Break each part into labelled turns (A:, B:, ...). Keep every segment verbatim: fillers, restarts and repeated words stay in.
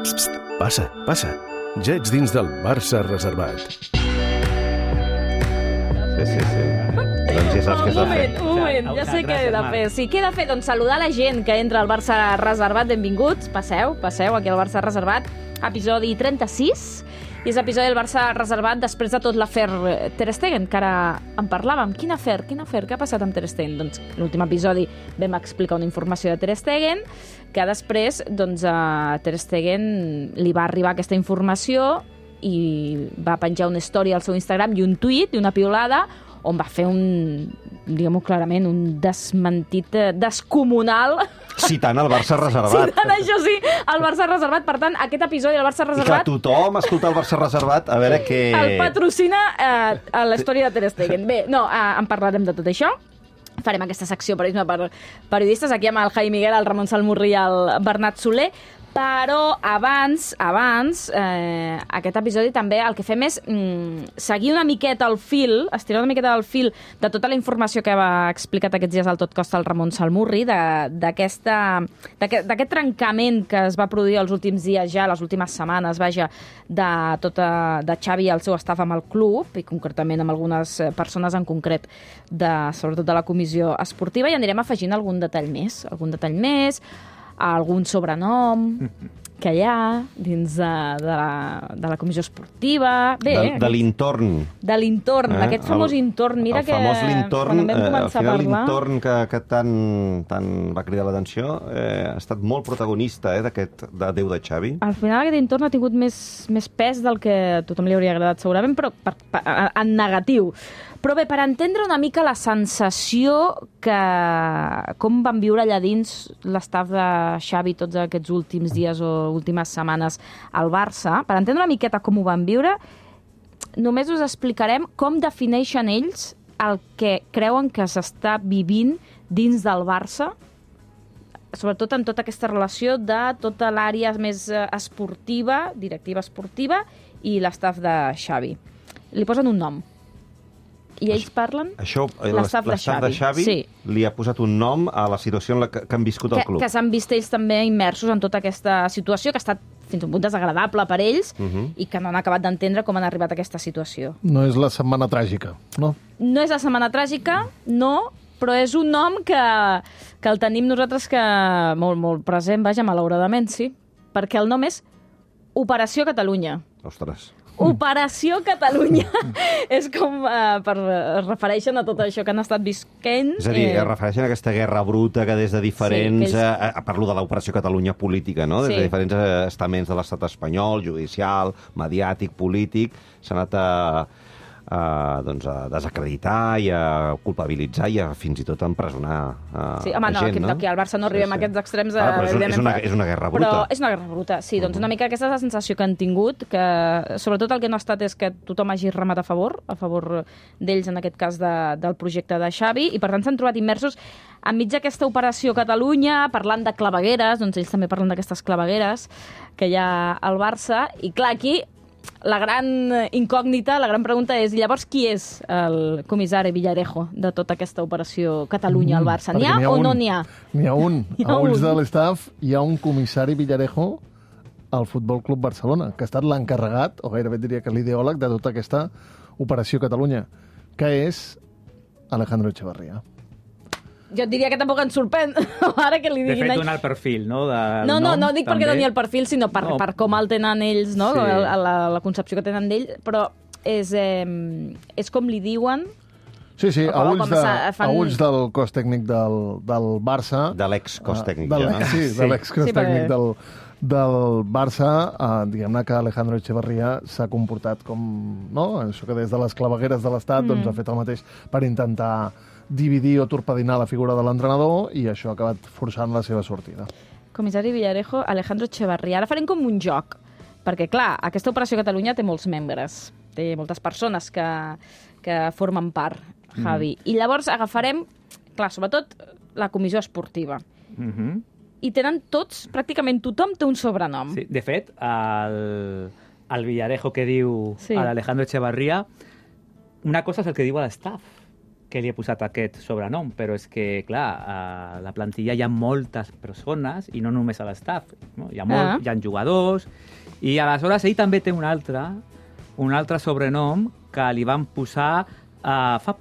A: Psst, psst, passa, passa. Ja ets dins del Barça reservat.
B: Sí, sí, sí. Doncs ja saps què has de fer.
C: Un moment, ja sé què he de fer. Sí, què he de fer? Doncs saludar la gent que entra al Barça reservat. Benvinguts, passeu, passeu aquí al Barça reservat. Episodi trenta-sis. I és l'episodi del Barça reservat després de tot l'afer Ter Stegen, que ara en parlàvem. Quin afer? Quin afer? Què ha passat amb Ter Stegen? Doncs l'últim episodi vam explicar una informació de Ter Stegen, que després doncs, a Ter Stegen li va arribar aquesta informació i va penjar una història al seu Instagram i un tuit i una piulada on va fer un, diguem-ho clarament, un desmentit descomunal.
B: Citant el Barça reservat.
C: Citant, això sí, el Barça reservat. Per tant, aquest episodi del Barça
B: I
C: reservat...
B: clar, tothom escolta el Barça reservat, a veure què...
C: El patrocina eh, a la història de Ter Stegen. Bé, no, eh, en parlarem de tot això. Farem aquesta secció periodisme per periodistes, aquí amb el Jaime Miguel, el Ramon Salmurri i el Bernat Soler. Però abans, abans eh, aquest episodi també el que fem és mm, seguir una miqueta el fil, estirar una miqueta el fil de tota la informació que ha explicat aquests dies al Tot Costa el Ramon Salmurri, d'aquest trencament que es va produir els últims dies ja, les últimes setmanes, vaja, de, tota, de Xavi i el seu staff amb el club, i concretament amb algunes persones en concret, de, sobretot de la comissió esportiva, i anirem afegint algun detall més, algun detall més, algun sobrenom que hi ha dins de, de, la, de la comissió esportiva. Bé,
B: de, de l'entorn.
C: De l'entorn, eh? D'aquest famós el, entorn. Mira
B: el
C: que
B: famós l'entorn,
C: quan vam començar
B: eh, al final
C: a parlar...
B: l'entorn que, que tant, tant va cridar l'atenció eh, ha estat molt protagonista eh, d'aquest de Déu de Xavi.
C: Al final aquest entorn ha tingut més, més pes del que a tothom li hauria agradat segurament, però per, per, en negatiu. Però bé, per entendre una mica la sensació que... com van viure allà dins l'estaf de Xavi tots aquests últims dies o últimes setmanes al Barça, per entendre una miqueta com ho van viure, només us explicarem com defineixen ells el que creuen que s'està vivint dins del Barça, sobretot en tota aquesta relació de tota l'àrea més esportiva, directiva esportiva, i l'estaf de Xavi. Li posen un nom. I ells parlen
B: Això,
C: l'estaf de Xavi.
B: de Xavi sí. Li ha posat un nom a la situació en la que, que han viscut
C: que,
B: el club.
C: Que s'han vist ells també immersos en tota aquesta situació, que ha estat fins a un punt desagradable per ells uh -huh. i que no han acabat d'entendre com han arribat a aquesta situació.
D: No és la setmana tràgica, no?
C: No és la setmana tràgica, no, però és un nom que, que el tenim nosaltres que molt, molt present, vaja, malauradament, sí, perquè el nom és Operació Catalunya.
B: Ostres.
C: Operació Catalunya. És com uh, per es refereixen a tot això que han estat visquent.
B: És a dir, eh... es refereixen a aquesta guerra bruta que des de diferents... Sí, ells... eh, parlo de l'Operació Catalunya política, no? Des sí. de diferents estaments de l'estat espanyol, judicial, mediàtic, polític, s'ha anat a... A, doncs a desacreditar i a culpabilitzar i a fins i tot a empresonar a,
C: sí, home,
B: a
C: no,
B: gent,
C: aquí,
B: no?
C: Aquí al Barça no arribem sí, sí. a aquests extrems.
B: Ah, però és, és, una, és una guerra bruta.
C: Però és una guerra bruta, sí. Doncs una mica aquesta és la sensació que han tingut, que sobretot el que no ha estat és que tothom hagi remat a favor, a favor d'ells, en aquest cas de, del projecte de Xavi, i per tant s'han trobat immersos enmig d'aquesta Operació Catalunya, parlant de clavegueres, doncs ells també parlen d'aquestes clavegueres que hi ha al Barça, i clar, aquí la gran incògnita, la gran pregunta és, llavors, qui és el comissari Villarejo de tota aquesta Operació Catalunya al Barça? N'hi ha, ha o
D: un,
C: no n'hi ha?
D: N'hi ha un. A ulls de l'estaf hi ha un comissari Villarejo al Futbol Club Barcelona, que ha estat l'encarregat, o gairebé diria que l'ideòleg, de tota aquesta Operació Catalunya, que és Alejandro Echevarría.
C: Jo et diria que tampoc ens sorprèn, ara que li diguin...
E: De fet, donar el perfil, no? De,
C: no, no,
E: nom,
C: no dic
E: també.
C: perquè doni el perfil, sinó per, no. per com el tenen ells, no? Sí. La, la, la concepció que tenen d'ell, però és, eh, és com li diuen...
D: Sí, sí, a ulls, de,
C: fan...
D: a ulls del cos tècnic del, del Barça...
B: De l'ex-cos tècnic,
D: uh,
B: ja, no?
D: Sí, de l'ex-cos sí, tècnic del, del Barça, uh, diguem-ne que Alejandro Echevarría s'ha comportat com... No? Això que des de les clavegueres de l'Estat mm. doncs, ha fet el mateix per intentar dividir o torpedinar la figura de l'entrenador, i això ha acabat forçant la seva sortida.
C: Comissari Villarejo, Alejandro Echevarría. Ara farem com un joc, perquè, clar, aquesta Operació Catalunya té molts membres, té moltes persones que, que formen part, Javi. Mm. I llavors agafarem, clar, sobretot la comissió esportiva.
E: Mm -hmm.
C: I tenen tots, pràcticament tothom té un sobrenom.
E: Sí, de fet, el, el Villarejo que diu sí. a l'Alejandro Echevarría, una cosa és el que diu a l'estaf, que li he posat aquest sobrenom, però és que, clar, a la plantilla hi ha moltes persones, i no només a l'estaf, no? Hi ha, molt,
C: Ah.
E: hi ha jugadors, i aleshores ell també té un altre, un altre sobrenom que li van posar uh, fa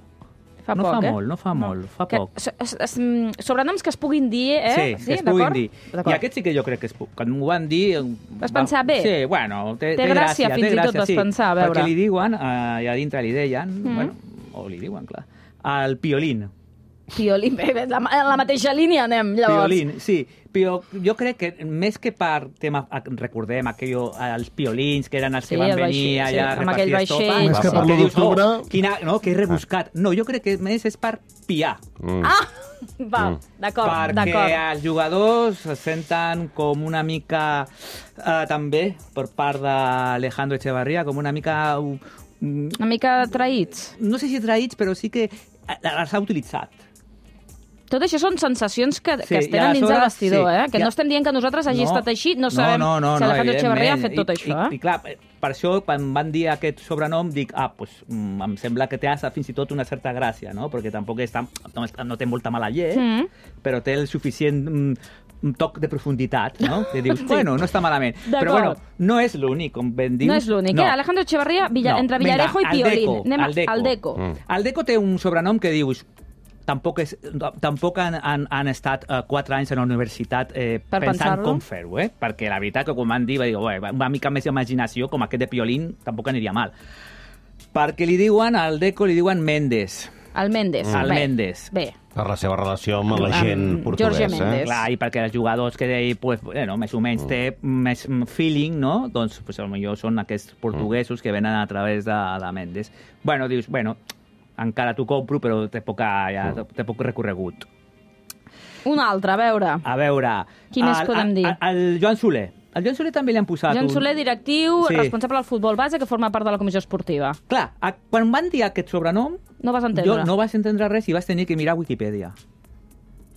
C: Fa
E: no
C: poc,
E: fa
C: eh?
E: molt, no fa
C: No.
E: molt, fa
C: Que,
E: poc.
C: so, es, es, mm, sobrenoms que es puguin dir, eh?
E: Sí, que es puguin dir.
C: D'acord.
E: I aquest sí que jo crec que es puc. Quan m'ho van dir...
C: Vas pensar bé?
E: Sí, bueno, té,
C: Té
E: té
C: gràcia,
E: gràcia,
C: fins
E: té
C: i tot
E: gràcia,
C: vas
E: sí.
C: pensar, a veure.
E: Perquè li diuen, eh, i a dintre li deien,
C: Mm.
E: bueno, o li diuen, clar, el piolín.
C: Piolín, bé, bé, la, la mateixa línia anem, llavors.
E: Piolín, sí. Però jo crec que més que per tema, recordem aquello, els piolins, que eren els
C: Sí,
E: que van
C: el
E: venir
C: vaixell, sí,
E: allà a
C: amb aquell
E: repartir estopa.
C: vaixell.
D: Més que per
E: que
D: l'u
E: dius,
D: d'octubre.
E: oh, quina, no, que rebuscat. No, jo crec que més és per piar.
B: Mm.
C: Ah! Val, d'acord,
E: Perquè
C: d'acord.
E: els jugadors se senten com una mica, eh, també, per part d'Alejandro Echevarría, com una mica... uh, mm,
C: Una mica traïts.
E: no sé si traïts, però sí que els ha utilitzat.
C: Tot això són sensacions que,
E: Sí,
C: que es
E: i
C: tenen dins del
E: aleshores,
C: vestidor,
E: sí,
C: eh? Que
E: ja-
C: no estem dient que nosaltres hagi
E: No,
C: estat així, no sabem
E: no, no,
C: si
E: no,
C: Alejandro Echevarría ha
E: evidentment.
C: fet tot això,
E: I,
C: eh?
E: I, clar, per això, quan van dir aquest sobrenom, dic, ah, pues, mm, em sembla que té fins i tot una certa gràcia, no? Perquè tampoc és tan, no, és- no té molta mala llet,
C: Mm.
E: però té el suficient mm, un toc de profunditat, no? Que dius,
C: Sí.
E: bueno, no està malament.
C: D'acord.
E: Però bueno, no és l'únic, com ben dius.
C: No és l'únic, eh? Alejandro Echevarría, Villa,
E: No.
C: entre
E: Vinga,
C: Villarejo i
E: el
C: Piolín.
E: Deco,
C: Anem a-
E: el Deco.
C: al Deco.
B: Mm.
E: El Deco té un sobrenom que dius tampoc, és, tampoc han, han, han estat uh, quatre anys a la universitat eh,
C: Per
E: pensant
C: pensar-lo.
E: com fer-ho, eh? Perquè la veritat que quan van dir, va dir, "Ué, una mica més d'imaginació, com aquest de Piolín, tampoc aniria mal. Perquè li diuen, al Deco li diuen Méndez.
C: El Méndez.
E: El
C: Bé,
E: Méndez.
C: Bé.
B: Per la seva relació amb la
C: Amb
B: gent portuguesa.
C: Jorge Méndez.
E: Clar, i perquè els jugadors que ell, pues, bueno, més o menys té més feeling, no? Doncs, pues, potser són aquests portuguesos que venen a través de, de Méndez. Bueno, dius, bueno, encara t'ho compro, però té, poca, ja, té poc recorregut.
C: Un altre, a veure.
E: A veure...
C: Qui més
E: el,
C: podem dir?
E: El, el Joan Soler. El Joan Soler també li han posat
C: Joan
E: un...
C: Soler, directiu,
E: Sí.
C: responsable del futbol base, que forma part de la comissió esportiva.
E: Clar, a, quan van dir aquest sobrenom,
C: No vas entendre.
E: jo no vas entendre res i vas tenir que mirar Wikipedia.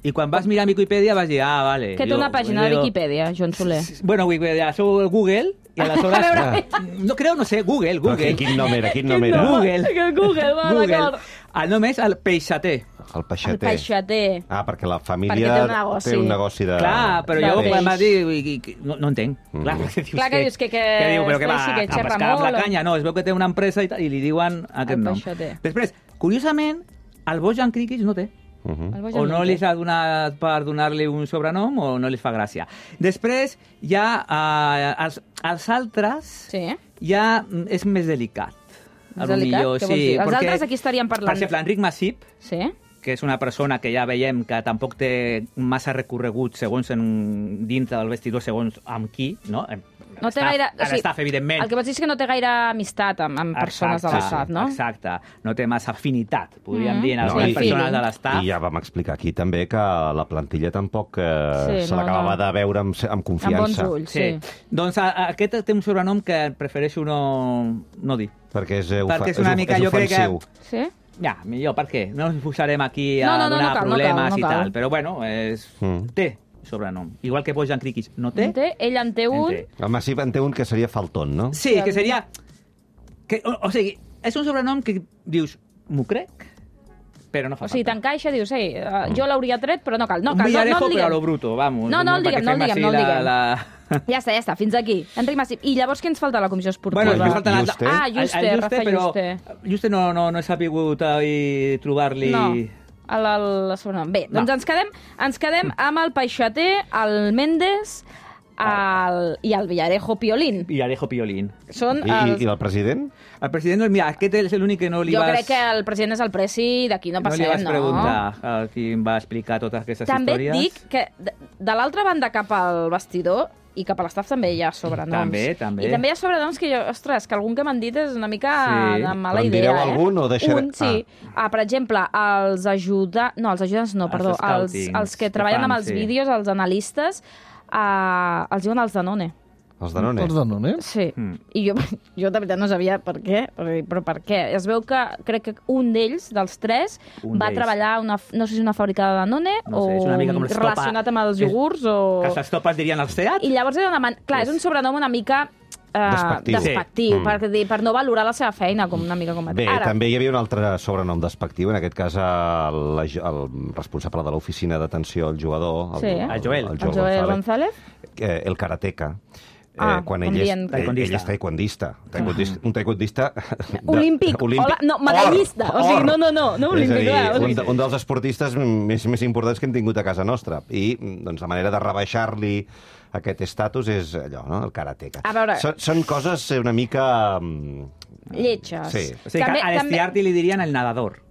E: I quan vas mirar Wikipedia vas dir, ah, vale.
C: Que té
E: jo-
C: una pàgina de
E: jo-
C: Wikipedia, Joan Soler.
E: Bueno, Wikipedia, sou el Google, i aleshores...
C: A veure.
E: No creu, no sé, Google,
B: Però
E: Google.
B: quin, quin nom era? Quin nom era?
E: Google.
C: Que Google, va,
E: Google.
C: d'acord.
E: El nom és el Peixater.
B: El
C: El
B: peixater.
C: peixater.
B: Ah, perquè la
C: Perquè
B: família
C: té un negoci.
B: té un negoci de...
E: Clar, però
C: de
E: jo
C: peix.
E: quan va dir... i- i- No, no entenc.
B: Mm.
E: Clar, que dius
C: Clar que dius que- que
E: que diu, però que va,
C: sí, que
E: a
C: xerra
E: pescar amb la
C: molt.
E: canya. No, es veu que té una empresa i, tal, i li diuen aquest
C: El
E: nom.
C: Peixater.
E: Després, curiosament, el Bojan Krikic no té.
B: Uh -huh.
C: El Bojan
E: O no
C: Méndez.
E: li ha donat per donar-li un sobrenom o no li fa gràcia. Després, ja eh, els, els altres
C: Sí.
E: ja mm, és més delicat.
C: Més
E: A lo
C: delicat?
E: millor,
C: Què vols
E: sí,
C: dir? Els
E: perquè,
C: altres aquí estaríem parlant.
E: Per exemple, Enric Masip,
C: Sí?
E: que és una persona que ja veiem que tampoc té massa recorregut segons en, dintre del vestidor, segons amb qui, no?
C: No té
E: L'estaf-
C: gaire... o sigui,
E: L'estaf, evidentment.
C: El que vols dir és que no té gaire amistat amb, amb persones de l'estaf, no?
E: Exacte, no té massa afinitat, podríem
C: Mm.
E: dir, en
C: No,
E: les
C: i-
E: persones
C: feeling.
E: de l'estaf.
B: I ja vam explicar aquí també que la plantilla tampoc eh,
C: Sí,
B: se
C: no,
B: l'acabava
C: no.
B: de veure amb, amb
C: Amb bons
B: confiança.
C: ulls, sí.
E: Doncs a, a, aquest té un sobrenom que prefereixo no, no dir.
B: Perquè és, eh,
E: Perquè és una
B: és,
E: mica,
B: és
E: jo crec que-
B: ofensiu.
C: Sí?
E: Ja, millor, per què? No ens posarem aquí a
C: No, no, no,
E: donar
C: no cal, no
E: problemes
C: cal, no
E: i
C: cal.
E: tal, però bueno, és...
B: Mm.
E: té sobrenom. Igual que Bojan Krikic no té.
C: En té? Ell en té un.
E: En té.
B: El Massip en té un que seria Faltón, no?
E: Sí, que seria... Que, o, o sigui, és un sobrenom que dius, m'ho crec, però no fa
C: O sigui,
E: falta.
C: t'encaixa, dius, ei, uh, jo l'hauria tret, però no cal. No
E: un
C: cal, no, no
E: Villarejo,
C: el
E: però a lo
C: diguem.
E: bruto, vamos.
C: No, no el
E: perquè
C: diguem, no el
E: fem
C: diguem, no el
E: així
C: diguem.
E: La, la...
C: Ja està, ja està, fins aquí. Enric Massip. I llavors què ens falta a la comissió esportiva?
E: Bueno, ens falta
B: Juste.
C: Ah,
E: el- el
C: Juste, Rafa
E: però
C: Juste.
E: Juste no, no, no he sabut ahí trobar-li...
C: No, el, el, el sobrenom. Bé, doncs
E: No.
C: ens quedem, ens quedem amb el Peixater, el Méndez el, i el Villarejo Piolín.
E: Villarejo Piolín.
C: Són
B: I,
C: els...
B: i, I el president?
E: El president, mira, aquest és l'únic que no li
C: Jo
E: vas...
C: crec que el president és el presi, d'aquí no
E: no li
C: passem,
E: vas
C: no?
E: preguntar a qui em va explicar totes aquestes
C: També
E: històries.
C: et dic que de, de l'altra banda cap al vestidor i cap a l'estaf també hi ha sobrenoms.
E: També, també.
C: I també hi ha sobrenoms que jo, ostres, que algun que m'han dit és una mica
E: Sí.
C: de mala
B: Però en
C: idea,
B: direu
C: eh?
B: algun o deixaré-
C: Un, sí. Ah. per exemple, els ajudants... No, els ajudants no,
E: Els
C: perdó. Els,
E: scoutings
C: els que
E: que
C: treballen
E: fan,
C: amb els
E: sí.
C: vídeos, els analistes, eh, els diuen els Danone.
B: Els Danone?
D: Els Danone?
C: Sí.
E: Mm.
C: I jo, jo de veritat no sabia per què, però, però per què? Es veu que crec que un d'ells, dels tres,
E: Un
C: va
E: d'ells.
C: treballar a una, no sé si una fàbrica de Danone
E: No sé, és una mica com
C: o
E: les Topa-
C: relacionat amb els
E: és-
C: iogurts o...
E: Que els topes dirien els Seat?
C: I llavors era una man... Clar, és
E: És-
C: un sobrenom una mica uh,
B: despectiu,
C: despectiu
B: sí.
C: per, dir, per no valorar la seva feina, com una mica com a...
B: Bé,
C: Ara,
B: també hi havia un altre sobrenom despectiu, en aquest cas el, el responsable de l'oficina d'atenció al jugador, el,
C: Sí.
B: el,
E: El Joel.
B: el
C: el Joel González.
B: eh, el karateca.
C: Ah,
B: eh, quan
C: com
B: ell és,
C: dient-
B: ell, ell és taekwondista. taekwondista un taekwondista... de-
C: Olímpic. Hola, no, medallista. O sigui, no, no, no, no olímpic,
B: És a dir,
C: clar, o sigui-
B: un, de- un dels esportistes més, més importants que hem tingut a casa nostra. I doncs, la manera de rebaixar-li aquest estatus és allò, no? El karateka.
C: A veure-
B: Són, són coses una mica... mm,
C: Lletges.
B: Sí.
E: O sigui, que a l'Estiarti li dirien el nadador.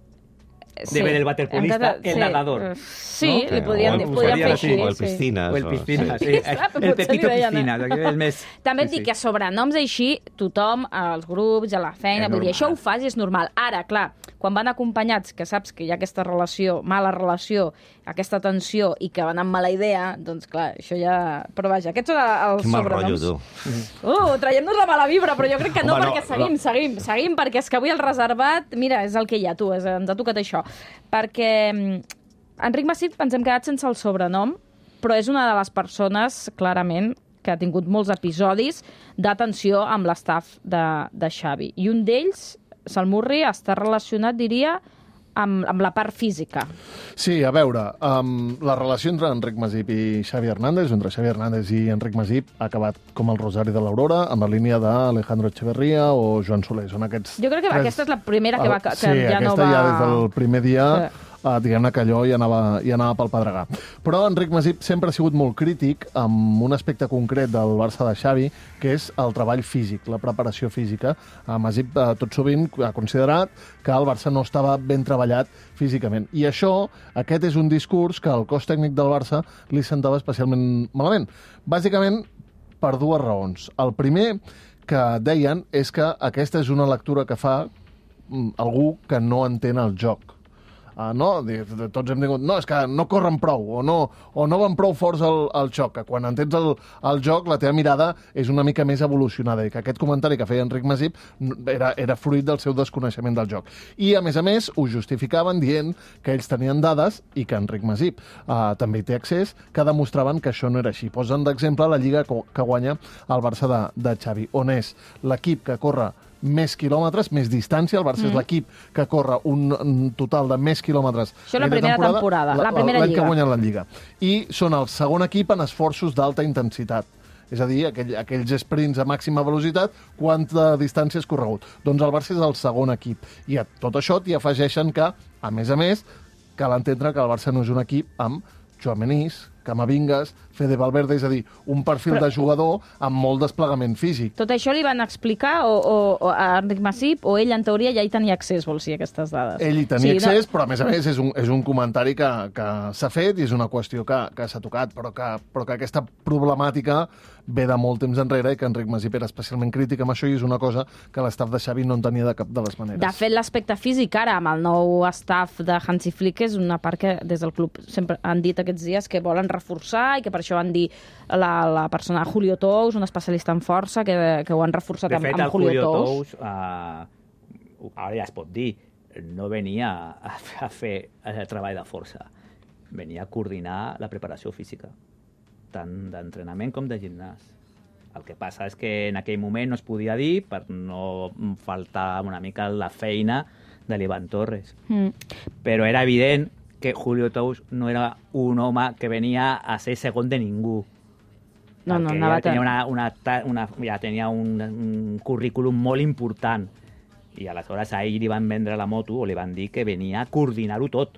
E: Debe del waterpolista,
C: Hem de-
E: el
C: sí.
E: nadador.
C: Sí,
B: No?
C: li podien,
B: O
C: li
B: el-
C: podien fer
B: o
C: així.
B: el
C: sí.
B: piscines.
E: O el piscines,
B: Sí.
E: sí.
C: Sí, clar,
E: El
C: potser li
E: Pepito
C: deien, eh?
E: Piscines, aquí és més...
C: També et
E: sí,
C: dic
E: sí.
C: que sobrenoms així, tothom, als grups, a la feina,
E: És
C: vull dir,
E: normal.
C: això ho fas i és normal. Ara, clar, quan van acompanyats, que saps que hi ha aquesta relació, mala relació, aquesta tensió, i que van amb mala idea, doncs clar, això ja... Però vaja, aquests són els
B: Quin mal rotllo,
C: sobrenoms.
B: tu.
C: Uh, traiem-nos la mala vibra, però jo crec que no,
B: Home, no,
C: perquè seguim,
B: no.
C: seguim, seguim, perquè és que avui el reservat, mira, és el que hi ha, tu, és, ens ha tocat això. Perquè mm, Enric Masip ens hem quedat sense el sobrenom, però és una de les persones, clarament, que ha tingut molts episodis de tensió amb l'estaf de, de Xavi. I un d'ells, Salmurri, està relacionat, diria, amb, amb la part física.
D: Sí, a veure, um, la relació entre Enric Masip i Xavi Hernández, entre Xavi Hernández i Enric Masip, ha acabat com el Rosari de l'Aurora, amb la línia d'Alejandro Echeverría o Joan Soler. Són aquests
C: Jo crec que
D: tres...
C: aquesta és la primera que, va, que
D: sí,
C: ja no
D: aquesta
C: va...
D: ja des del primer dia...
C: Sí.
D: Uh, diguem-ne que allò ja anava, ja anava pel pedregar. Però Enric Masip sempre ha sigut molt crític amb un aspecte concret del Barça de Xavi, que és el treball físic, la preparació física. Uh, Masip uh, tot sovint ha considerat que el Barça no estava ben treballat físicament. I això, aquest és un discurs que al cos tècnic del Barça li sentava especialment malament. Bàsicament, per dues raons. El primer que deien és que aquesta és una lectura que fa mm, algú que no entén el joc. Uh, no? Tots hem tingut... No, és que no corren prou, o no, o no van prou forts al, al xoc, que quan entens el, el joc la teva mirada és una mica més evolucionada, i que aquest comentari que feia Enric Masip era, era fruit del seu desconeixement del joc. I, a més a més, ho justificaven dient que ells tenien dades, i que Enric Masip uh, també hi té accés, que demostraven que això no era així. Posen d'exemple la lliga que guanya el Barça de, de Xavi, on és l'equip que corre més quilòmetres, més distància. El Barça mm. és l'equip que corre un, un total de més quilòmetres.
C: Això és la primera temporada, temporada la, la primera
D: l'any
C: lliga.
D: que guanyen la Lliga. I són el segon equip en esforços d'alta intensitat. És a dir, aquell, aquells sprints a màxima velocitat, quanta distància has corregut. Doncs el Barça és el segon equip. I a tot això t'hi afegeixen que, a més a més, cal entendre que el Barça no és un equip amb Tchouaménis, Camavingas, Fede Valverde, és a dir, un perfil
C: Però...
D: de jugador amb molt desplegament físic.
C: Tot això li van explicar o, o, o a Enric Masip, o ell, en teoria, ja hi tenia accés, vols dir, a aquestes dades?
D: Ell hi tenia
C: sí,
D: accés,
C: no...
D: però a més a més és un, és un comentari que, que s'ha fet i és una qüestió que, que s'ha tocat, però que, però que aquesta problemàtica ve de molt temps enrere i que Enric Masip era especialment crític amb això, i és una cosa que l'estaf de Xavi no entenia de cap de les maneres.
C: De fet, l'aspecte físic ara, amb el nou staff de Hansi Flick, és una part que des del club sempre han dit aquests dies que volen reforçar, i que per això van dir la, la persona Julio Tous, un especialista en força, que, que ho han reforçat
E: de
C: amb,
E: fet,
C: amb Julio,
E: Julio
C: Tous.
E: Tous, uh, ara ja es pot dir, no venia a, a fer el treball de força, venia a coordinar la preparació física, tant d'entrenament com de gimnàs. El que passa és que en aquell moment no es podia dir per no faltar una mica la feina de l'Ivan Torres. Mm. Però era evident que Julio Tous no era un home que venia a ser segon de ningú.
C: No, no,
E: ja tenia, una, una, una, ja tenia un, un currículum molt important. I aleshores a ell li van vendre la moto, o li van dir que venia a coordinar-ho tot.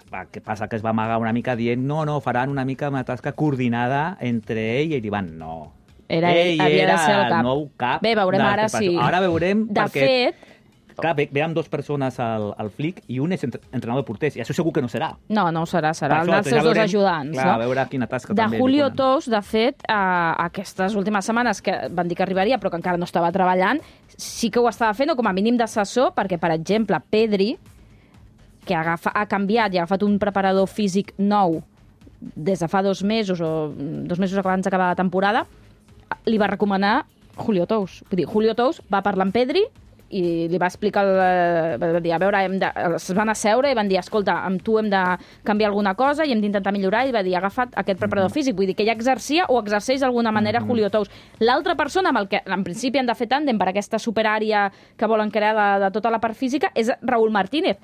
E: El que passa que es va amagar una mica dient no, no, faran una mica una tasca coordinada entre ell i l'Ivan. No.
C: Era ell,
E: ell
C: havia
E: era
C: de ser el cap.
E: el nou cap.
C: Bé, veurem ara si...
E: Ara veurem,
C: de
E: perquè...
C: fet...
E: Clar, ve, ve amb dues persones al, al Flick i un és entrenador de porters, i això segur que no serà.
C: No, no ho serà, serà
E: Per
C: el dels
E: això,
C: seus
E: ja veurem,
C: dos ajudants.
E: clar,
C: no?
E: a veure quina tasca
C: de
E: també.
C: Julio
E: li ponen.
C: Tous, de fet, eh, aquestes últimes setmanes que van dir que arribaria, però que encara no estava treballant, sí que ho estava fent, o com a mínim d'assessor, perquè, per exemple, Pedri, que agafa, ha canviat i ha agafat un preparador físic nou des de fa dos mesos, o dos mesos abans d'acabar la temporada, li va recomanar Julio Tous. Vull dir, Julio Tous va parlar amb Pedri i li va explicar, el, va dir, a veure, hem de, es van asseure i van dir, escolta, amb tu hem de canviar alguna cosa i hem d'intentar millorar, i va dir, ha agafat aquest preparador físic, vull dir que ja exercia o exerceix d'alguna manera Julio Tous. L'altra persona amb el que en principi han de fer tàndem per aquesta superàrea que volen crear de, de tota la part física és Raúl Martínez,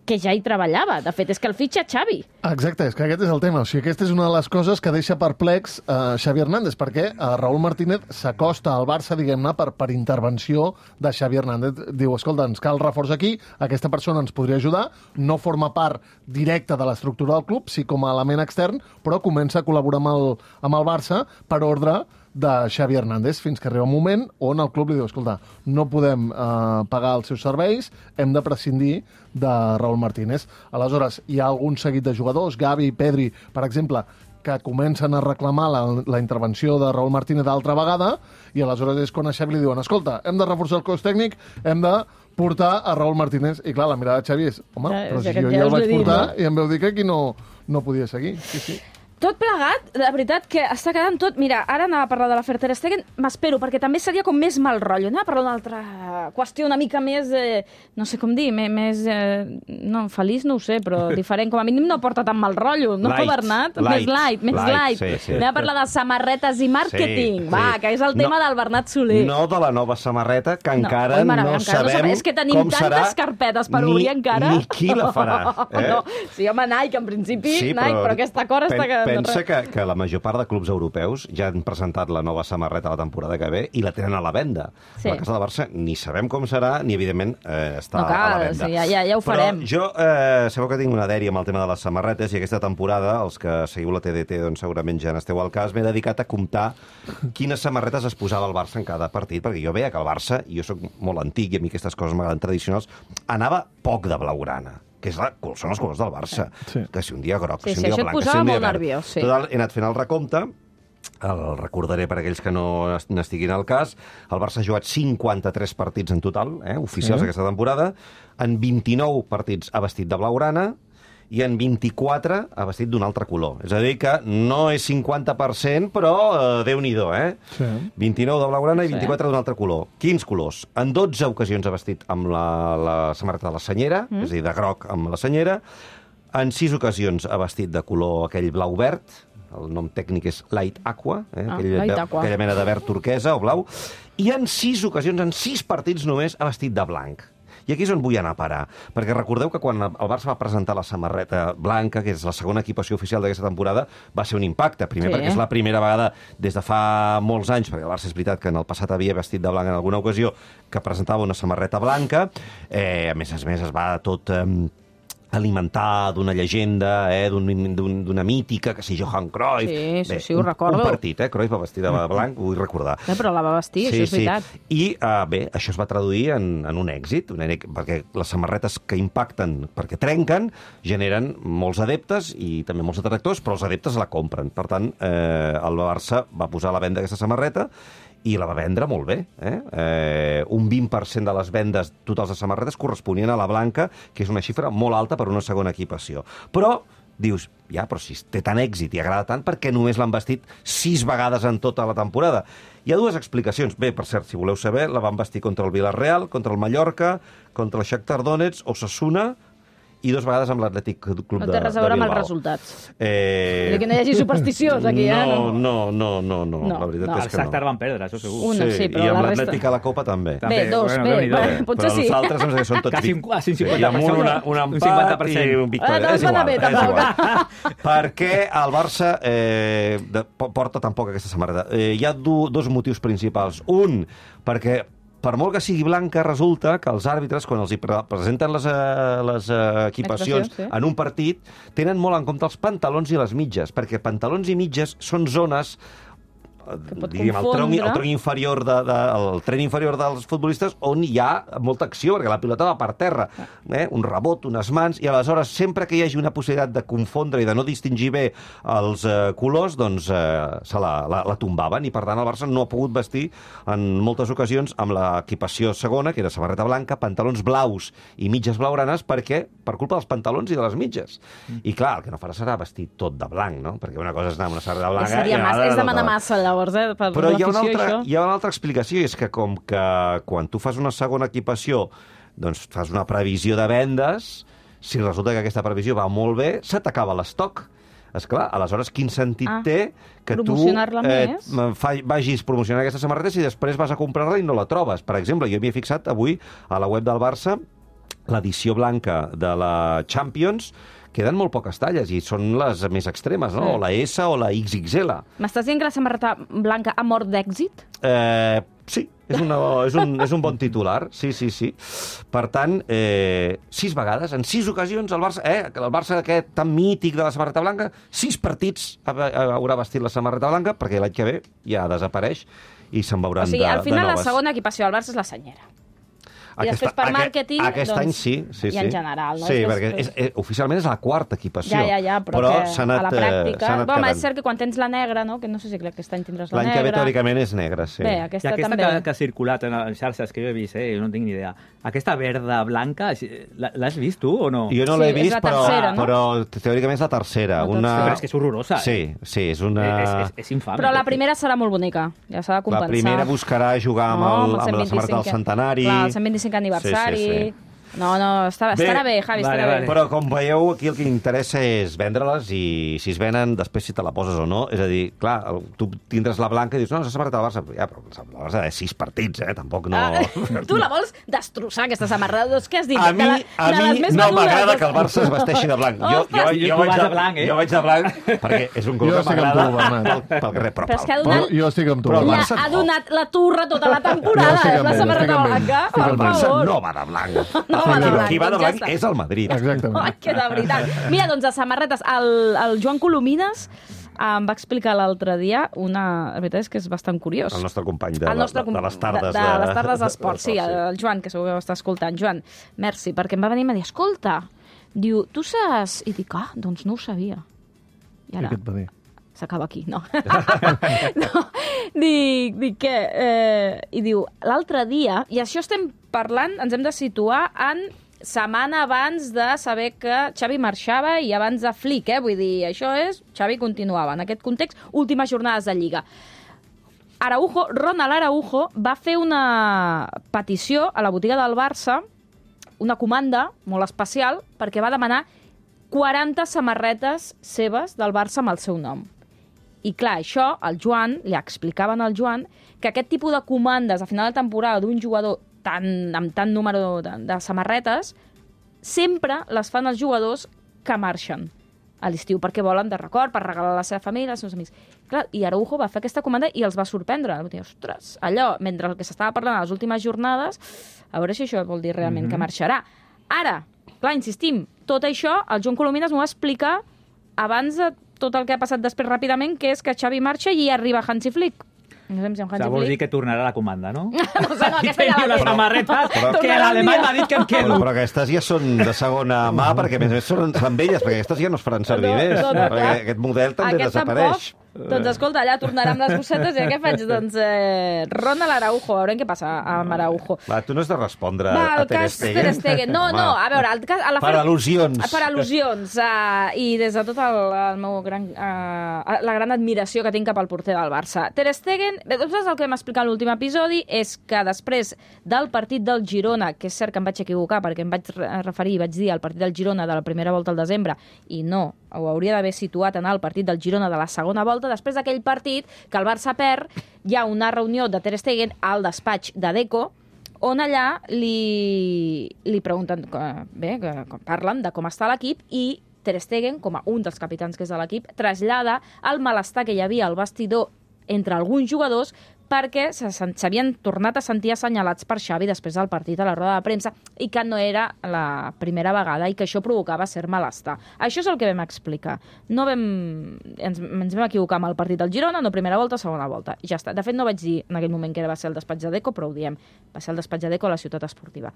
C: que ja hi treballava. De fet, és que el fitxa Xavi.
D: Exacte, és que aquest és el tema. O sigui, aquesta és una de les coses que deixa perplex uh, Xavi Hernández, perquè uh, Raúl Martínez s'acosta al Barça, diguem-ne, per, per intervenció de Xavi Hernández. Diu, escolta, ens cal reforç aquí, aquesta persona ens podria ajudar, no forma part directa de l'estructura del club, sí com a element extern, però comença a col·laborar amb el, amb el Barça per ordre de Xavi Hernández, fins que arriba un moment on el club li diu, escolta, no podem eh, pagar els seus serveis, hem de prescindir de Raúl Martínez. Aleshores, hi ha algun seguit de jugadors, Gavi, Pedri, per exemple, que comencen a reclamar la, la intervenció de Raúl Martínez d'altra vegada, i aleshores és quan a Xavi li diuen, escolta, hem de reforçar el cos tècnic, hem de portar a Raúl Martínez. I clar, la mirada de Xavi és, home, ja, però si jo ja el vaig portar i em veu dir que aquí no, no podia seguir. Sí, sí.
C: Tot plegat, de veritat, que està quedant tot... Mira, ara anava a parlar de la Ter Stegen, m'espero, perquè també seria com més mal rotllo. Anava a parlar d'una altra qüestió una mica més, eh, no sé com dir, més... més eh, no, feliç no ho sé, però diferent. Com a mínim no porta tan mal rotllo, no,
B: light,
C: Bernat?
B: Light,
C: més light, més light.
B: light. Sí, sí.
C: Anem a parlar de samarretes i màrqueting, sí, va, sí. Que és el tema no, del Bernat Soler.
B: No de la nova samarreta, que encara
C: no, oi, mare,
B: no,
C: encara
B: sabem
C: no sabem. És que tenim
B: com
C: tantes carpetes per
B: ni,
C: obrir encara.
B: Ni qui la farà. Eh?
C: No, sí, home, Nike, en principi, sí, Nike, però, però aquesta cor està... Que,
B: pensa que, que la major part de clubs europeus ja han presentat la nova samarreta la temporada que ve i la tenen a la venda. Sí. A la casa de Barça ni sabem com serà, ni evidentment eh, està
C: no cal,
B: a la venda.
C: Sí, ja, ja, ja ho farem.
B: Però jo eh, sabeu que tinc una dèria amb el tema de les samarretes, i aquesta temporada, els que seguiu la T D T, doncs segurament ja n'esteu al cas, m'he dedicat a comptar quines samarretes es posava el Barça en cada partit, perquè jo veia que el Barça, i jo sóc molt antic i a mi aquestes coses m'agraden tradicionals, anava poc de blaugrana, que és la, són els colors del Barça. Sí. Que si un dia groc,
C: sí,
B: que si un
C: sí,
B: dia blanc, que si un dia verd.
C: Nerviós, sí.
B: Total, he anat fent el recompte, el recordaré per aquells que no n'estiguin al cas. El Barça ha jugat cinquanta-tres partits en total, eh, oficials, sí, aquesta temporada. En vint-i-nou partits ha vestit de blaugrana, i en vint-i-quatre ha vestit d'un altre color. És a dir, que no és cinquanta per cent, però eh, Déu-n'hi-do, eh? Sí. vint-i-nou de blaugrana i vint-i-quatre sí. d'un altre color. Quins colors? En dotze ocasions ha vestit amb la, la samarreta de la senyera, mm. és a dir, de groc amb la senyera. En sis ocasions ha vestit de color aquell blau-verd, el nom tècnic és Light Aqua, eh?
C: Ah,
B: aquell,
C: light aqua.
B: aquella mena de verd turquesa o blau, i en sis ocasions, en sis partits només, ha vestit de blanc. I aquí és on vull anar a parar, perquè recordeu que quan el Barça va presentar la samarreta blanca, que és la segona equipació oficial d'aquesta temporada, va ser un impacte. Primer sí. perquè és la primera vegada des de fa molts anys, perquè el Barça és veritat que en el passat havia vestit de blanc en alguna ocasió, que presentava una samarreta blanca. Eh, a més a més es va tot... Eh, alimentar d'una llegenda, eh, d'una mítica, que si Johan Cruyff...
C: Sí, sí,
B: bé,
C: sí, ho recordo.
B: Un partit, eh? Cruyff va vestir de blanc, ho vull recordar.
C: Eh, però la va vestir,
B: sí,
C: això és veritat.
B: Sí. I, uh, bé, això es va traduir en, en un èxit, un èxit, perquè les samarretes que impacten, perquè trenquen, generen molts adeptes i també molts detractors, però els adeptes la compren. Per tant, eh, el Barça va posar a la venda aquesta samarreta i la va vendre molt bé. Eh? Eh, un vint per cent de les vendes totals de samarretes corresponien a la blanca, que és una xifra molt alta per una segona equipació. Però dius, ja, però si té tant èxit i agrada tant, per què només l'han vestit sis vegades en tota la temporada? Hi ha dues explicacions. Bé, per cert, si voleu saber, la van vestir contra el Villarreal, contra el Mallorca, contra el Shakhtar Donetsk, Osasuna, i dos vegades amb l'Atlètic Club de, de Bilbao.
C: No té res a veure amb els resultats.
B: Eh...
C: Que no hi hagi supersticiós aquí,
B: no,
C: eh?
B: No, no, no, no, no.
C: no
B: la veritat
C: no.
B: és que no.
E: El Shakhtar van perdre, això segur.
C: Una, sí, però
B: i amb
C: la resta...
B: l'Atlètic a la Copa també.
C: Bé, dos,
E: bueno,
C: bé, bé,
B: bé,
C: potser sí.
B: Però els altres em sembla que són tots...
E: Quasi un, quasi un cinquanta per cent.
B: I amb un, un empat i un victòria.
C: Ah, no,
B: és igual,
C: bé,
B: és igual. Perquè el Barça eh, de, porta tampoc aquesta samarreta. Eh, hi ha do, dos motius principals. Un, perquè per molt que sigui blanca, resulta que els àrbitres, quan els hi pre presenten les, uh, les uh, equipacions sí. en un partit, tenen molt en compte els pantalons i les mitges, perquè pantalons i mitges són zones... Diguem, el, tronc, el, tronc inferior de, de, el tren inferior dels futbolistes on hi ha molta acció, perquè la pilota va per terra, eh? un rebot, unes mans, i aleshores sempre que hi hagi una possibilitat de confondre i de no distingir bé els eh, colors, doncs eh, se la, la, la tombaven, i per tant el Barça no ha pogut vestir en moltes ocasions amb l'equipació segona, que era samarreta blanca, pantalons blaus i mitges blaugranes, perquè per culpa dels pantalons i de les mitges. Mm. I clar, el que no farà serà vestir tot de blanc, no? Perquè una cosa és anar amb una samarreta blanca...
C: Seria
B: i
C: massa, és demanar
B: tota...
C: massa, allò. llavors, eh, per
B: Però hi ha, una
C: l'afició,
B: altra,
C: això.
B: hi ha una altra explicació, i és que com que quan tu fas una segona equipació, doncs fas una previsió de vendes, si resulta que aquesta previsió va molt bé, se t'acaba l'estoc. Esclar, aleshores, quin sentit
C: Ah,
B: té que tu
C: promocionar-la
B: eh,
C: més?
B: fa, vagis promocionant aquesta samarreta i després vas a comprar-la i no la trobes. Per exemple, jo m'hi he fixat avui a la web del Barça, l'edició blanca de la Champions, queden molt poques talles i són les més extremes, no?
C: Sí.
B: O la S o la X X L.
C: M'estàs dient que la samarreta blanca ha mort d'èxit?
B: Eh, sí, és, una, és, un, és un bon titular, sí, sí, sí. Per tant, eh, sis vegades, en sis ocasions, el Barça, eh, el Barça aquest tan mític de la samarreta blanca, sis partits haurà vestit la samarreta blanca, perquè l'any que ve ja desapareix i se'n veuran
C: O sigui,
B: de,
C: al final
B: de
C: la
B: noves.
C: segona equipació del Barça és la senyera. I
B: Aquesta-
C: després per
B: aquest-
C: màrqueting,
B: Aquest
C: doncs,
B: any sí, sí,
C: i
B: sí.
C: en general, no?
B: Sí,
C: És que
B: perquè és, és, oficialment és la quarta equipació.
C: Ja, ja, ja, però, que
B: s'ha anat,
C: a la
B: eh,
C: pràctica...
B: s'ha anat
C: Bueno,
B: quedant.
C: és cert que quan tens la negra, no? Que no sé si aquest any tindràs la
B: L'any
C: negra...
B: que ve, teòricament, és negra, sí.
C: Bé,
E: I
C: aquesta,
E: aquesta
C: també...
E: que, que ha circulat en les xarxes que jo he vist, eh? Jo no tinc ni idea. Aquesta verda blanca, l'ha- l'has vist tu o no?
B: Jo no
C: Sí,
B: l'he
C: és
B: vist,
C: la
B: però,
C: tercera, no?
B: però teòricament és la tercera.
C: La
B: Una...
C: tercera.
E: Però és que és horrorosa.
B: Sí, sí, és una...
E: És, és, és infame.
C: Però la primera serà molt bonica, ja s'ha de compensar.
B: La primera buscarà jugar amb, el,
C: No,
B: amb la samarreta del centenari.
C: Clar, el cent vint-i-cinquè aniversari...
B: Sí, sí, sí.
C: No, no, està,
B: Bé,
C: estarà bé, Javi,
E: vale,
C: estarà
E: vale.
C: bé.
B: Però, com veieu, aquí el que interessa és vendre-les i si es venen, després si te la poses o no. És a dir, clar, el- tu tindràs la blanca i dius, no, s'ha samarreta del Barça. Ja, però la Barça de sis partits, eh? Tampoc no...
C: Ah, tu la vols destrossar, aquesta samarreta? Doncs què has dit?
B: A mi,
C: De la-
B: a
C: de
B: mi
C: les més
B: no
C: venudes.
B: m'agrada que el Barça es vesteixi de blanc. Jo, jo,
C: Ostres!
B: jo,
E: Tu
B: vaig
E: vas
B: de
E: de blanc, eh?
B: Jo vaig de blanc perquè és un color
D: Jo
B: que
D: estic amb
B: m'agrada
D: tu, Bernat.
B: pel, pel carrer. Però,
C: Però és que ha
B: pel-
C: donat-
D: Jo, jo estic amb tu.
B: Però el
C: Ja
B: Barça
C: ha
B: no.
C: donat la turra tota la temporada,
D: Jo estic
C: eh?
D: amb
C: La
D: ell,
C: samarreta
D: estic amb ell.
C: blanca,
D: Estic
C: per
B: el Barça
C: favor.
B: no va de blanc.
C: No va de
B: Qui-
C: blanc,
B: Qui va de
C: doncs ja
B: blanc
C: està.
B: és el Madrid.
D: Exactament.
C: Ai, que de veritat. Mira, doncs, de samarretes, el, el Joan Colomines em va explicar l'altre dia una... La veritat és que és bastant curiós.
B: El nostre company de,
C: El nostre
B: de, de les tardes.
C: de, de les tardes d'esport, sí,
B: sí.
C: el Joan, que segur que ho està escoltant. Joan, merci, perquè em va venir i em va dir, escolta, diu, tu saps... I dic, ah, doncs no ho sabia. I
D: I
C: ara,
D: què et va dir?
C: s'acaba aquí, no. no. Dic, dic què? Eh, I diu, l'altre dia, i això estem parlant, ens hem de situar en setmana abans de saber que Xavi marxava i abans de Flick, eh? Vull dir, això és... Xavi continuava. En aquest context, últimes jornades de Lliga. Araujo, Ronald Araujo, va fer una petició a la botiga del Barça, una comanda molt especial, perquè va demanar quaranta samarretes seves del Barça amb el seu nom. I clar, això, el Joan, li explicaven al Joan que aquest tipus de comandes a final de temporada d'un jugador tan, amb tant número de, de samarretes sempre les fan els jugadors que marxen a l'estiu, perquè volen de record, per regalar a la seva família, als seus amics. Clar, i Araujo va fer aquesta comanda i els va sorprendre. Va dir, ostres, allò, mentre el que s'estava parlant a les últimes jornades, a veure si això vol dir realment mm-hmm. que marxarà. Ara, clar, insistim, tot això el Joan Colomines m'ho va explicar abans de tot el que ha passat després ràpidament, que és que Xavi marxa i arriba Hansi Flick. No sé si amb
E: O
C: Hansi
E: sigui, vols dir
C: Flick...
E: que tornarà la comanda, no?
C: No sé, no, aquesta ja
E: Teniu
C: la
E: les
C: té.
E: samarretes
B: Però-
E: que l'alemany m'ha dit que em
B: Però,
E: quedo.
B: però aquestes ja són de segona mà, perquè a més a més són, són velles, perquè aquestes ja no es faran servir
C: No,
B: més.
C: no, no,
B: perquè
C: clar.
B: aquest model també
C: Aquest
B: desapareix.
C: tampoc. Doncs escolta, allà tornarà amb les bossetes i què faig? Doncs eh, Ronald Araujo, a veure què passa amb Araujo.
B: Va, tu no has de respondre
C: Va,
B: a
C: el
B: Ter
C: cas
B: Stegen.
C: Ter Stegen. No, no, a veure, el cas, a la
B: Per al·lusions.
C: Per al·lusions. Uh, I des de tot el, el meu gran, uh, la gran admiració que tinc cap al porter del Barça. Ter Stegen, bé, doncs el que vam explicar en l'últim episodi és que després del partit del Girona, que és cert que em vaig equivocar perquè em vaig referir, vaig dir el partit del Girona de la primera volta al desembre, i no, ho hauria d'haver situat en el partit del Girona de la segona volta, després d'aquell partit que el Barça perd, hi ha una reunió de Ter Stegen al despatx de Deco, on allà li, li pregunten, bé, que, que parlen de com està l'equip, i Ter Stegen, com a un dels capitans que és de l'equip, trasllada el malestar que hi havia al vestidor entre alguns jugadors perquè s'havien tornat a sentir assenyalats per Xavi després del partit a la roda de premsa i que no era la primera vegada i que això provocava cert malestar. Això és el que vam explicar. No vam, ens, ens vam equivocar amb el partit del Girona, no primera volta, segona volta. I ja està. De fet, no vaig dir en aquell moment que va ser el despatx de Deco, però ho diem. Va ser el despatx de Deco a la ciutat esportiva.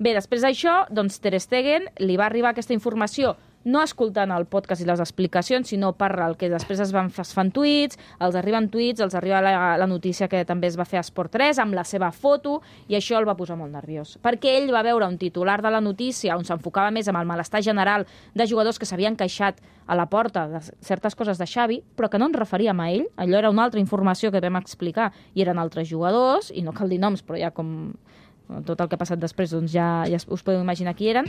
C: Bé, després d'això, doncs Ter Stegen li va arribar aquesta informació no escoltant el podcast i les explicacions, sinó per el que després es, van, es fan tuits, els arriben tuits, els arriba la, la notícia que també es va fer a Esport tres amb la seva foto, i això el va posar molt nerviós. Perquè ell va veure un titular de la notícia on s'enfocava més amb el malestar general de jugadors que s'havien queixat a la porta de certes coses de Xavi, però que no ens referíem a ell. Allò era una altra informació que vam explicar, i eren altres jugadors, i no cal dir noms, però ja com tot el que ha passat després, doncs ja, ja us podeu imaginar qui eren.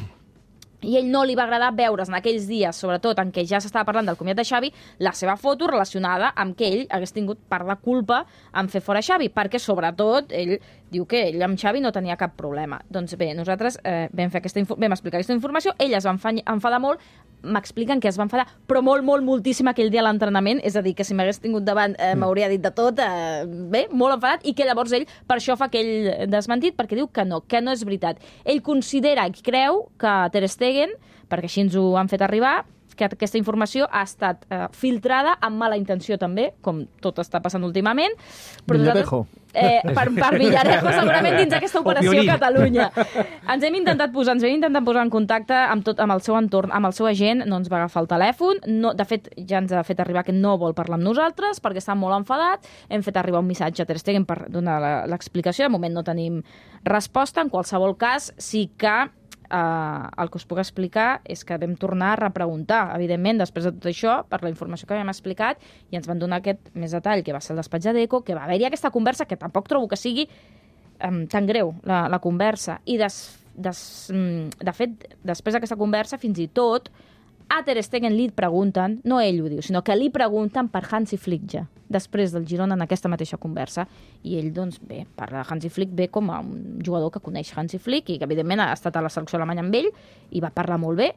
C: I ell no li va agradar veure's en aquells dies, sobretot en què ja s'estava parlant del comiat de Xavi, la seva foto relacionada amb que ell hagués tingut part de culpa en fer fora Xavi, perquè sobretot ell diu que ell amb Xavi no tenia cap problema. Doncs bé, nosaltres eh, vam, fer aquesta vam explicar aquesta informació, ell es va enfadar molt, m'expliquen que es va enfadar, però molt, molt, moltíssim aquell dia a l'entrenament, és a dir, que si m'hagués tingut davant eh, m'hauria dit de tot, eh, bé, molt enfadat, i que llavors ell per això fa aquell desmentit, perquè diu que no, que no és veritat. Ell considera i creu que Ter Stegen, perquè així ens ho han fet arribar, que aquesta informació ha estat eh, filtrada amb mala intenció també, com tot està passant últimament. Però
D: Villarejo.
C: Eh, per, per Villarejo, segurament dins d'aquesta operació Catalunya. Ens hem intentat posar, ens hem intentat posar en contacte amb, tot, amb el seu entorn, amb el seu agent, no ens va agafar el telèfon, no, de fet ja ens ha fet arribar que no vol parlar amb nosaltres perquè està molt enfadat, hem fet arribar un missatge a Ter Stegen per donar l'explicació, de moment no tenim resposta, en qualsevol cas sí que Uh, el que us puc explicar és que vam tornar a repreguntar, evidentment, després de tot això, per la informació que havíem explicat, i ens van donar aquest més detall, que va ser el despatx de Deco, que va haver-hi aquesta conversa, que tampoc trobo que sigui um, tan greu, la, la conversa. I des, des, um, de fet, després d'aquesta conversa, fins i tot, a Ter Stegen li pregunten, no ell ho diu, sinó que li pregunten per Hansi Flick ja, després del Girona en aquesta mateixa conversa. I ell, doncs, bé, parla de Hansi Flick bé com a un jugador que coneix Hansi Flick i que, evidentment, ha estat a la selecció alemanya amb ell i va parlar molt bé,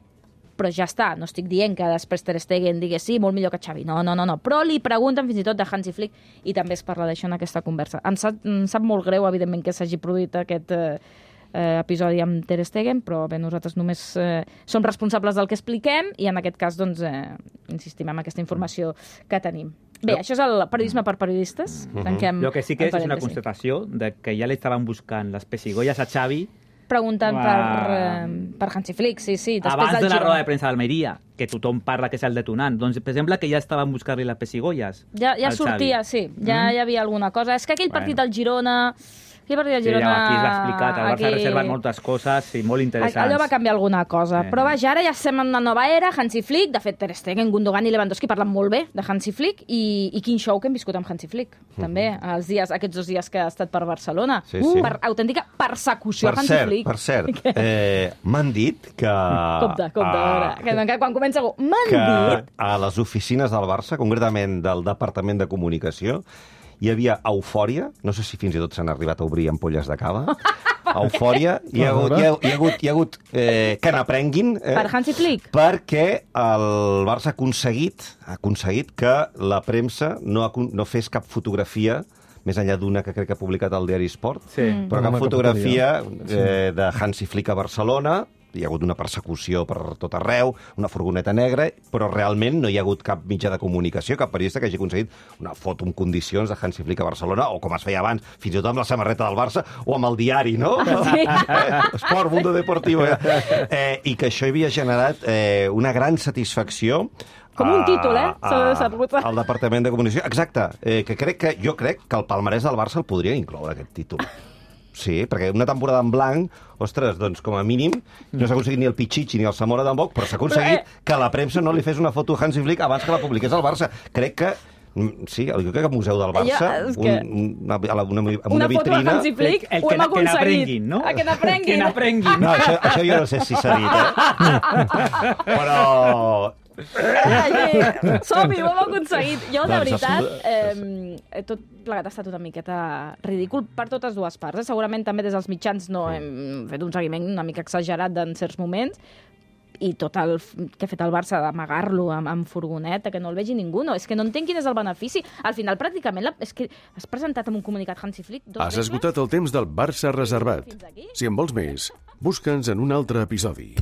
C: però ja està. No estic dient que després Ter Stegen digui sí, molt millor que Xavi. No, no, no, no. Però li pregunten fins i tot de Hansi Flick i també es parla d'això en aquesta conversa. Em sap, em sap molt greu, evidentment, que s'hagi produït aquest eh, eh, episodi amb Ter Stegen, però bé, nosaltres només eh, som responsables del que expliquem i en aquest cas, doncs, eh, insistim en aquesta informació que tenim. Bé, això és el periodisme per periodistes. Tanquem
E: Lo que sí que és, és una constatació de que ja li estaven buscant les pessigolles a Xavi
C: preguntant
E: Va.
C: per, eh, per Hansi Flick, sí, sí.
E: abans
C: del
E: de la
C: Girona.
E: roda de premsa d'Almeria, que tothom parla que és el detonant. Doncs, per exemple, que ja estaven buscant-li les pessigolles
C: Ja, ja
E: al
C: sortia,
E: Xavi.
C: sí, ja
E: Mm.
C: hi havia alguna cosa. És que aquell partit
E: Bueno.
C: del Girona... Aquell partit del
E: Sí,
C: Girona...
E: aquí es va explicar, el Barça
C: aquí-
E: ha reservat moltes coses i molt interessants.
C: Allò va canviar alguna cosa.
E: Sí.
C: Però vaja, ara ja estem en una nova era, Hansi Flick, de fet Ter Stegen, Gundogan i Lewandowski parlen molt bé de Hansi Flick i, i quin show que hem viscut amb Hansi Flick, també, els dies, aquests dos dies que ha estat per Barcelona.
B: Sí, sí.
C: Per autèntica persecució
B: Per
C: a Hansi
B: cert,
C: Flick.
B: per cert, eh, m'han dit que...
C: Compte, compte, a veure, que, que quan comença algú, m'han
B: que
C: dit...
B: a les oficines del Barça, concretament del Departament de Comunicació, hi havia eufòria, no sé si fins i tot s'han arribat a obrir ampolles de cava, eufòria, hi ha hagut, hi ha, hi ha hagut, hi ha hagut eh, que n'aprenguin... Eh,
C: Per Hansi Flick?
B: perquè el Barça ha aconseguit, ha aconseguit que la premsa no, ha, no fes cap fotografia més enllà d'una que crec que ha publicat el diari Sport,
E: Sí.
C: Mm.
B: però
D: Una
B: cap fotografia
D: caputaria.
B: eh, de Hansi Flick a Barcelona. Hi ha hagut una persecució per tot arreu, una furgoneta negra, però realment no hi ha hagut cap mitjà de comunicació, cap periodista que hagi aconseguit una foto en condicions de Hansi Flick a Barcelona, o com es feia abans, fins i tot amb la samarreta del Barça, o amb el diari, no?
C: Sí.
B: Eh, Esport, Mundo Deportivo. Eh? Eh, I que això havia generat eh, una gran satisfacció
C: Com un títol, eh?
B: a-
C: S'ha de saber.
B: al Departament de Comunicació. Exacte, eh, que crec que jo crec que el palmarès del Barça el podria incloure, aquest títol. Sí, perquè una temporada en blanc, ostres, doncs com a mínim no s'ha aconseguit ni el Pichichi ni el Zamora d'Embok, però s'ha aconseguit
C: Però, eh...
B: que la premsa no li fes una foto a Hansi Flick abans que la publiqués al Barça. Crec que mm, sí, jo crec que al Museu del Barça,
C: Jo, és que-
B: un, una, una, una, una,
C: Una foto de
B: vitrina...
C: Hansi Flick,
E: El
C: ho
E: que
C: hem
E: na- que
C: aconseguit.
E: n'aprenguin, no?
C: Ah, que n'aprenguin.
E: Que n'aprenguin.
B: No, això, això jo no sé si s'ha dit, eh? Però...
C: Ai, som-hi, ho hem aconseguit. Jo, de
B: Doncs,
C: veritat,
B: absolut-
C: eh, tot plegat ha estat una miqueta ridícul per totes dues parts. Eh? Segurament també des dels mitjans no hem fet un seguiment una mica exagerat en certs moments, i tot el f- que ha fet el Barça d'amagar-lo amb, amb furgoneta, que no el vegi ningú, no, és que no entenc quin és el benefici. Al final, pràcticament, la, és que has presentat amb un comunicat Hansi Flick dos
A: Has
C: regles.
A: esgotat el temps del Barça reservat.
C: Fins aquí.
A: Si en vols més, busca'ns en un altre episodi.